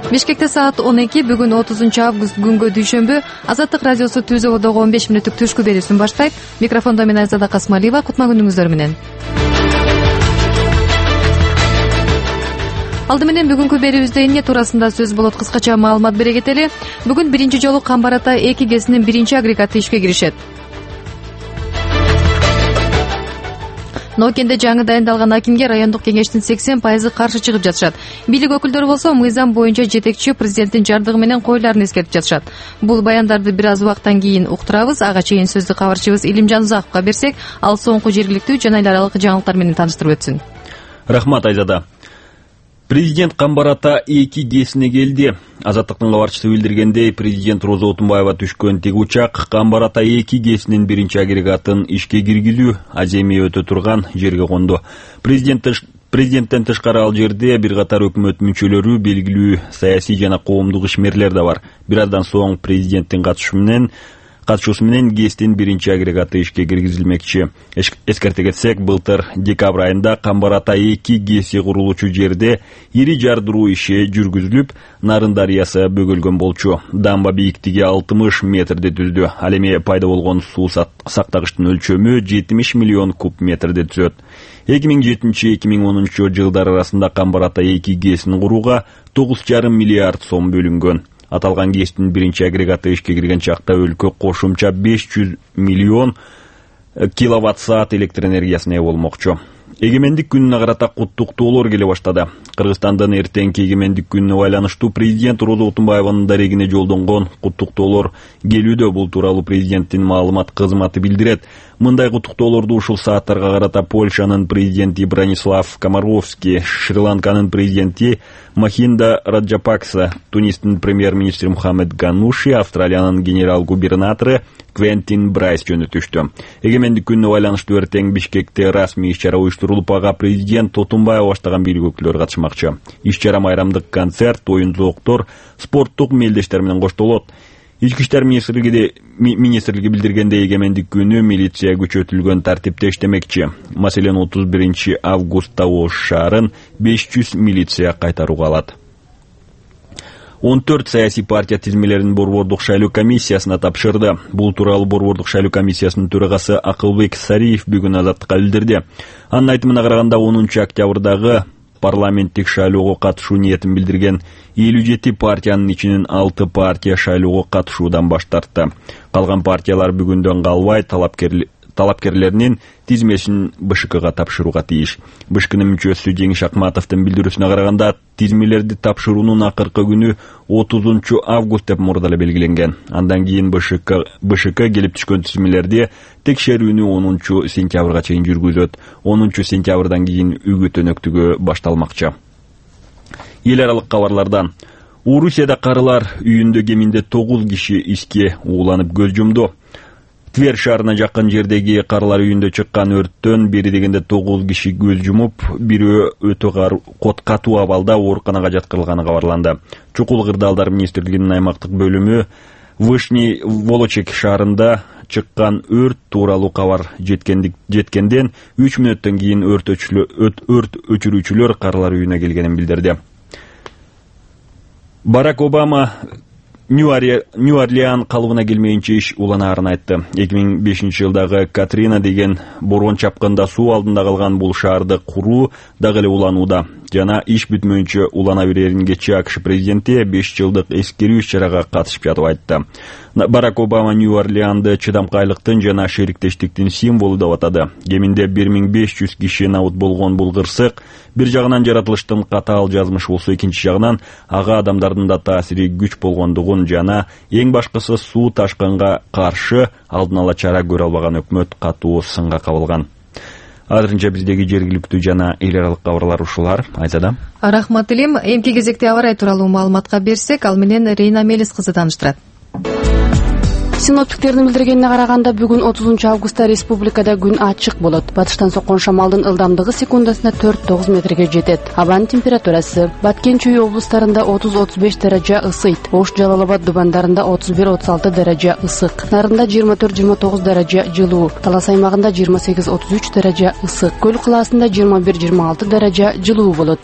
Бишкекте саат 12 бүгүн 30 август күнгө дүйшөмбү Азаттык радиосу Түз Ободогу 15 мүнөттүк түшкү берүүсүн баштайт. Микрофондо мен Айзада Касмалиева. Кутма күнүңүздөр менен. Алды менен бүгүнкү берүүбүздө эмне туурасында сөз болот, кыскача маалымат бере кетели. Бүгүн биринчи жолу Камбар Ата 2 ГЭСинин биринчи агрегаты ишке киришет. Ноокенде жаңы дайындалган акимге райондук кеңештин 80% каршы чыгып жатышат. Бийлик өкүлдөрү болсо мыйзам боюнча жетекчи президенттин жардыгы менен койларын эскертип жатышат. Бул баяндарды бир аз убакыттан кийин уктурабыз. Ага чейин сөздү кабарчыбыз Илимжан Узаковго берсек, ал соңку жергиликтүү жана эл аралык жаңылыктар менен тааныштырып өтсүн. Рахмат, Айзада. Президент Камбар Ата 2 ГЭСине келди. Азаттыктын кабарчысы билдиргендей, президент Роза Отунбаева түшкөн тиги учак Камбар Ата 2 ГЭСинин биринчи агрегатын ишке киргизүү аземи өтө турган жерге конду. Президенттен тышкары ал жерде бир катар өкмөт мүчөлөрү, белгилүү саясий жана коомдук ишмерлер да бар. Бир аздан соң президенттин катышуусу менен ГЭСтин биринчи агрегаты ишке киргизилмекчи. Эскерте кетсек, былтыр декабрь айында Камбар Ата 2 ГЭСи курулуучу жерде ири жардыруу иши жүргүзүлүп, Нарын дарыясы бөгөлгөн болчу. Дамба бийиктиги 60 метрди түздү. Ал эми пайда болгон суу сактагычтын өлчөмү 70 миллион куб метрди түзөт. 2007-2010 жылдар арасында Камбар Ата 2 ГЭСин курууга 9,5 миллиард сом бөлүнгөн. Аталган ГЭСтин биринчи агрегаты ишке кирген чакта өлкө кошумча 500 миллион киловатт-саат электр энергиясына ээ болмокчу. Эгемендик күнүнө карата куттуктоолор келе баштады. Кыргызстандын эртеңки эгемендик күнүнө байланыштуу президент Роза Отунбаеванын дарегине жолдонгон куттуктоолор келүүдө. Бул тууралуу президенттин маалымат кызматы билдирет. Мындай куттуктоолорду ушул сааттарга карата Польшанын президенти Бранислав Комаровский, Шри-Ланканын президенти Махинда Раджапакса, Тунистин премьер-министри Мухаммед Гануши, Австралиянын генерал-губернатору Квентин Брайс жөнөтүштү. Эгемендик күнүнө байланыштуу эртең Бишкекте расмий иш-чара уюштурулуп, ага президент Отунбаев баштаган бийлик өкүлдөрү катышмакчы. Иш-чара майрамдык концерт, оюн-зооктор, спорттук мелдештер менен коштолот. Ички иштер министрлиги билдиргендей, эгемендик күнү милиция күчөтүлгөн тартипте иштемекчи. Маселен, 31 августта Ош шаарын 500 милиция кайтарууга алат. 14 саясий партия тизмелерин борбордук шайлоо комиссиясына тапшырды. Бул тууралуу борбордук шайлоо комиссиясынын төрагасы Акылбек Сариев бүгүн Азаттыкка билдирди. Анын айтымына караганда, 10 октябрдагы парламенттик шайлоого катышуу ниетин билдирген 57 партиянын ичинен 6 партия шайлоого катышуудан баш тартты. Калган партиялар бүгүндөн калбай талапкерлеринин тизмесин БШКга тапшырууга тийиш. БШКнын мүчөсү Жеңиш Акматовдун билдирүүсүнө караганда, тизмелерди тапшыруунун акыркы күнү 30 август деп мурда эле белгиленген. Андан кийин БШК келип түшкөн тизмелерди текшерүүнү 10 сентябрга чейин жүргүзөт. 10 сентябрдан кийин үгүт өнөктүгү башталмакчы. Эл аралык кабарлардан: Орусияда карылар үйүндө кеминде 9 киши иске ууланып көз жумду. Тверь шаарына жакын жердеги карылар үйүндө чыккан өрттөн бери дегенде 9 киши көз жумуп, бирөө өтө катуу абалда ооруканага жаткырылганы кабарланды. Чукул кырдаалдар министрлигинин аймактык бөлүмү Вышний Волочек шаарында чыккан өрт тууралуу кабар жеткенден 3 мүнөттөн кийин өрт өчүрүүчүлөр карылар үйүнө келгенин билдирди. Барак Обама Нью-Орлеан калыбына келмейинче иш уланаарын айтты. 2005 жылдагы Катрина деген борон чапкында суу алдында калган бул шаарды куруу дагы эле уланууда. Жана иш бүтмөйүнчө улана берерин кечээ АКШ президенти 5 жылдык эскерүү иш-чарага катышып жатып айтты. Барак Обама Нью-Орлеанды чыдамкайлыктын жана шериктештиктин символу деп атады. Кеминде 1500 киши набыт болгон бул кырсык бир жагынан жаратылыштын катаал жазмышы болсо, экинчи жагынан ага адамдардын да таасири күч болгондугун жана эң башкысы суу ташкынга каршы алдын ала чара көрө албаган өкмөт катуу сынга кабылган. Азырынча биздеги жергиликтүү жана эл аралык кабарлар ушулар. Айзада. Рахмат Илим. Эмки кезекте аба ырайы тууралуу маалыматка берсек, ал менен Рейна Мелис кызы тааныштырат. Синоптиктердин билдиргенине караганда, бүгүн 30 августта республикада күн ачык болот. Батыштан соккон шамалдын ылдамдыгы секундасына 4-9 метрге жетет. Абанын температурасы: Баткен Чүй облустарында 30-35 даража ысыйт. Ош, Жалал Абад дубандарында 31-36 даража ысык. Нарында 24-29 даража жылуу. Талас аймагында 28-33 даража ысык. Көл кылаасында 21-26 даража жылуу болот.